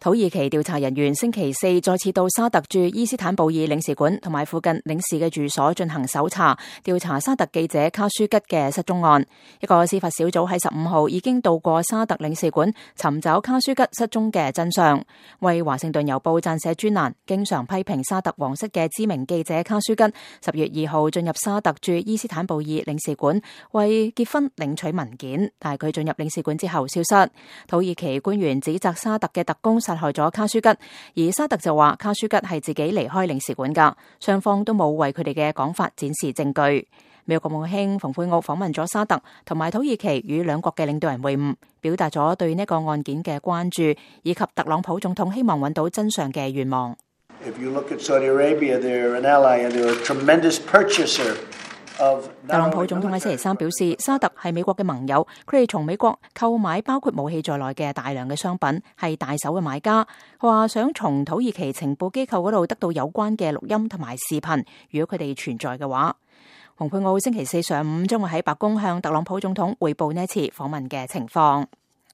土耳其調查人員星期四再次到沙特駐伊斯坦布爾領事館同埋附近領事嘅住所進行搜查，調查沙特記者卡舒吉嘅失蹤案。一個司法小組喺15號已經到過沙特領事館尋找卡舒吉失蹤嘅真相。為華盛頓郵報撰寫專欄，經常批評沙特皇室嘅知名記者卡舒吉10月2號進入沙特駐伊斯坦布爾領事館為結婚領取文件，但係佢進入領事館之後消失。土耳其官員指責沙特嘅特工殺害咗卡舒吉，而沙特就話卡舒吉係自己離開領事館噶，雙方都冇為佢哋嘅講法展示證據。美國國務卿蓬佩奧訪問咗沙特同埋土耳其，與兩國嘅領導人會晤，表達咗對呢個案件嘅關注，以及特朗普總統希望揾到真相嘅願望。If you look at Saudi Arabia, they're an ally and they're a tremendous purchaser.特朗普總統喺星期三表示，沙特係美國嘅盟友，佢哋從美國購買包括武器在內嘅大量嘅商品，係大手嘅買家。佢話想從土耳其情報機構嗰度得到有關嘅錄音同埋視頻，如果佢哋存在嘅話。蓬佩奧星期四上午將會喺白宮向特朗普總統匯報呢次訪問嘅情況。